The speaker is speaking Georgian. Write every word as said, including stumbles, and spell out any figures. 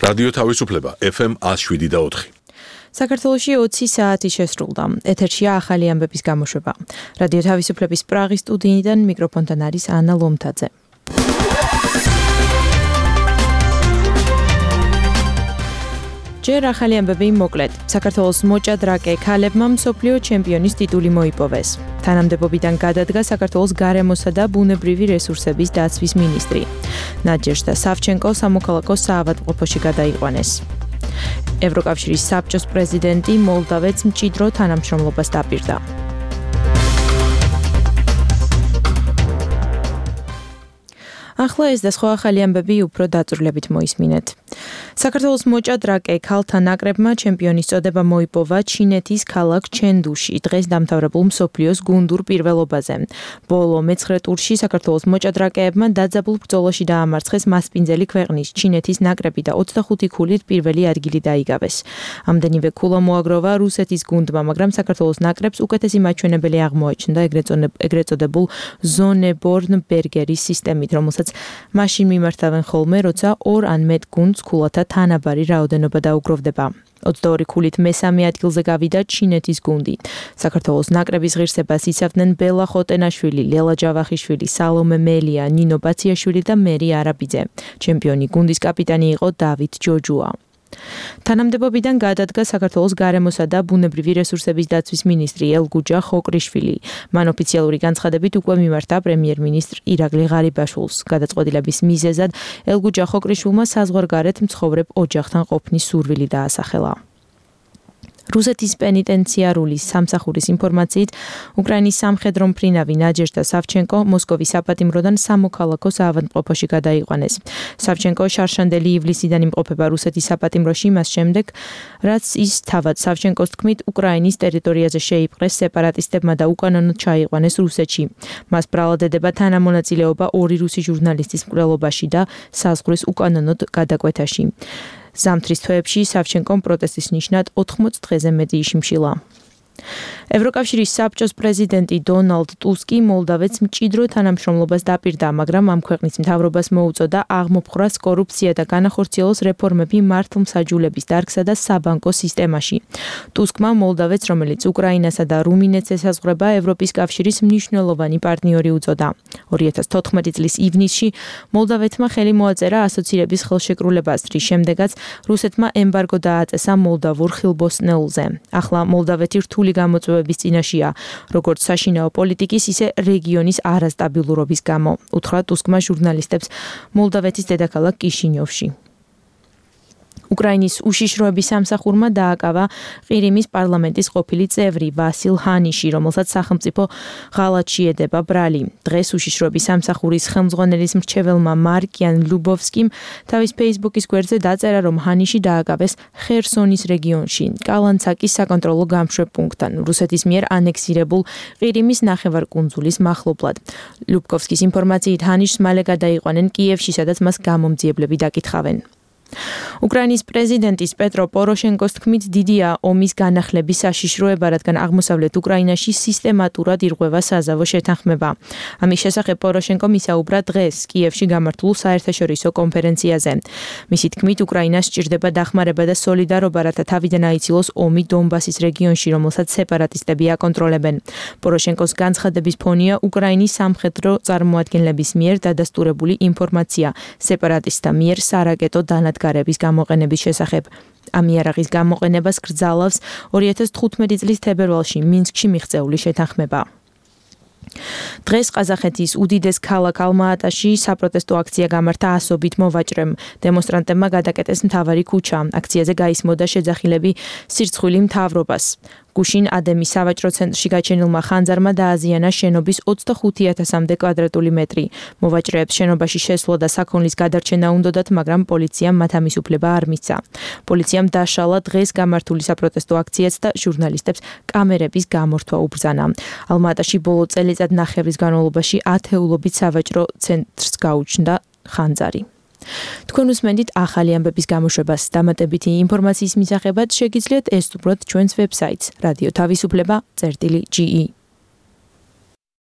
რადიო თავისუფლება ეფ ემ one oh seven და four. საქართველოში ოცი საათი შესრულდა. ეთერშია ახალი ამბების გამოშვება. რადიო თავისუფლების პრაღის სტუდიიდან მიკროფონთან არის ანა ლომთაძე. ჯერ ახალი ამბები მოკლედ. საქართველოს მოჭადრაკე ქალებმა მსოფლიო ჩემპიონის ტიტული მოიპოვეს. თანამდებობიდან გადადგა საქართველოს გარემოსა და ბუნებრივი რესურსების დაცვის მინისტრი. ნადეჟდა სავჩენკო სამოქალაქო საავადმყოფოში გადაიყვანეს. ევროკავშირის საბჭოს პრეზიდენტი მოლდავეთს მჭიდრო თანამშრომლობას დაპირდა. ახლა ეს და სხვა ახალი ამბები უფრო დაწვრილებით მოისმინეთ. საქართველოს მოჭადრაკე ქალთა ნაკრებმა ჩემპიონის წოდება მოიპოვა ჩინეთის ქალაქ ჩენდუში დღეს დამთავრებულ მსოფლიოს გუნდურ პირველობაზე. ბოლო მეცხრე ტურში საქართველოს მოჭადრაკეებმა დაძაბულ ბრძოლაში დაამარცხეს მასპინძელი ქვეყნის ჩინეთის ნაკრები და ოცდახუთი ქულით პირველი ადგილი დაიგავეს. ამდენივე ქულა მოაგროვა რუსეთის გუნდმა, მაგრამ საქართველოს ნაკრებს უკეთესი მაჩვენებელი აღმოაჩნდა ეგრეთ წოდებულ ზონებორნბერგერის სისტემით, რომელსაც მაშინ მიმართავენ ხოლმე, როცა ორ ან მეტ გუნდს ქულათა თანაბარი რაოდენობა დაუგროვდება. ოცდაორი ქულით მესამე ადგილზე გავიდა ჩინეთის გუნდი. საქართველოს ნაკრების ღირსებას იცავდნენ ბელა ხოტენაშვილი, ლელა ჯავახიშვილი, სალომე მელია, ნინო ბაციაშვილი და მერი არაბიძე. ჩემპიონი გუნდის კაპიტანი იყო დავით ჯოჯუა. თანამდებობიდან გადადგა საქართველოს გარემოსა და ბუნებრივი რესურსების დაცვის მინისტრი ელგუჯა ხოკრიშვილი. მან ოფიციალური განცხადებით უკვე მიმართა პრემიერ-მინისტრ ირაკლი ღარიბაშვილს. გადაწყვეტილების მიზეზად ელგუჯა ხოკრიშვილმა საზღვარგარეთ მცხოვრებ ოჯახთან ყოფნის სურვილი დაასახელა. რუსეთის პენიტენციარული სამსახურის ინფორმაციით, უკრაინის სამხედრო მფრინავი ნაჯეჟდა სავჩენკო მოსკოვის საპატიმროდან სამოქალაქო საავადმყოფოში გადაიყვანეს. სავჩენკო შარშანდელი ივლისიდან იმყოფება რუსეთის საპატიმროში მას შემდეგ, რაც ის თავად სავჩენკოს თქმით უკრაინის ტერიტორიაზე შეიპყრეს სეპარატისტებმა და უკანონოდ ჩაიყვანეს რუსეთში. მას ბრალადედება თანამონაწილეობა ორი რუსი ჟურნალისტის მკვლელობაში და საზღვრის უკანონოდ გადაკვეთაში. ზამთრის თვეებში სავჩენკომ პროტესტის ნიშნად ოთხმოც დღეზე მეტი იშიმშილა. ევროკავშირის საბჭოს პრეზიდენტი დონალდ ტუსკი მოლდავეთს მჭიდრო თანამშრომლობას დაპირდა, მაგრამ ამ ქვეყნის მთავრობას მოუწოდა აღმოფხვრას კორუფცია და განახორციელოს რეფორმები მართლმსაჯულების დარგსა და საბანკო სისტემაში. ტუსკმა მოლდავეთს, რომელიც უკრაინასა და რუმინეთს ესაზღვრება, ევროპის კავშირის მნიშვნელოვანი პარტნიორი უწოდა. ორი ათას თოთხმეტი წლის ივნისში მოლდავეთმა ხელი მოაწერა ასოცირების ხელშეკრულებას, რის შემდეგაც რუსეთმა ემბარგო დააწესა მოლდავურ ხილბოსნეულზე. ახლა მოლდავეთი რთული გამოწვევების წინაშია, როგორც საშინაო პოლიტიკის, ისე რეგიონის არასტაბილურობის გამო, უთხრა ტუსკმა ჟურნალისტებს მოლდავეთის დედაქალაქ კიშინიოვში. უკრაინის უშიშროების სამსახურმა დააკავა ყირიმის პარლამენტის ყოფილი წევრი ვასილ ჰანიში, რომელსაც სახელმწიფო ღალატში ედება ბრალი. დღეს უშიშროების სამსახურის ხელმძღვანელის მრჩეველმა მარკიან ლუბოვსკიმ თავის ფეისბუქის გვერდზე დაწერა, რომ ჰანიში დააკავეს ხერსონის რეგიონში, კალანცაკის საკონტროლო გამშვებ პუნქტთან, რუსეთის მიერ ანექსირებულ ყირიმის ნახევარკუნძულის მახლობლად. ლუბოვსკის ინფორმაციით ჰანიშს მალე გადაიყვანენ კიევში, სადაც მას გამომძიებლები დაკითხავენ. უკრაინის პრეზიდენტის პეტრო პოროშენკოს თქმით დიდია ომის განახლების საშიშროება, რადგან აღმოსავლეთ უკრაინაში სისტემატურად ირღვევა საზავო შეთანხმება. ამის შესახებ პოროშენკომ ისაუბრა დღეს კიევში გამართულ საერთაშორისო კონფერენციაზე. მისი თქმით, უკრაინას სჭირდება დახმარება და სოლიდარობა, რათა თავიდან აიცილოს ომი დონბასის რეგიონში, რომელსაც სეპარატისტები აკონტროლებენ. პოროშენკოს განცხადების ფონია უკრაინის სამხედრო წარმოადგენლების მიერ დადასტურებული ინფორმაცია სეპარატისტთა მიერ სარაკეტო განადგარების გამოყენების შესახებ. ამ იარაღის გამოყენებას კრძალავს ორი ათას თხუთმეტი წლის თებერვალში მინსკში მიღწეული შეთანხმება. დღეს ყაზახეთის უდიდეს ქალაქ ალმა-ატაში საპროტესტო აქცია გამართა ასობით მოვაჭრემ. დემონსტრანტებმა გადაკეტეს მთავარი ქუჩა. აქციაზე გაისმოდა შეძახილები სირცხვილი მთავრობას. გუშინ ადემის სავაჭრო ცენტრში გაჩენილმა ხანძარმა დააზიანა შენობის ოცდახუთი ათასამდე კვადრატული მეტრი. მოვაჭრეებს შენობაში შესვლა და საქონლის გადარჩენა უნდოდათ, მაგრამ პოლიციამ მათ ამის უფლება არ მისცა. პოლიციამ დაშალა დღეს გამართული საპროტესტო აქციაც და ჟურნალისტებს კამერების გამორთვა უბრძანა. ალმა-ატაში ბოლო წელიწად ნახევრის განმავლობაში ათეულობით სავაჭრო ცენტრს გაუჩნდა ხანძარი. თქვენ უსმენთ ახალი ამბების გამოშვებას. დამატებითი ინფორმაციის მისაღებად შეგიძლიათ ესწროთ ჩვენს ვებსაიტს რადიო თავისუფლება წერტილი ჯი ი.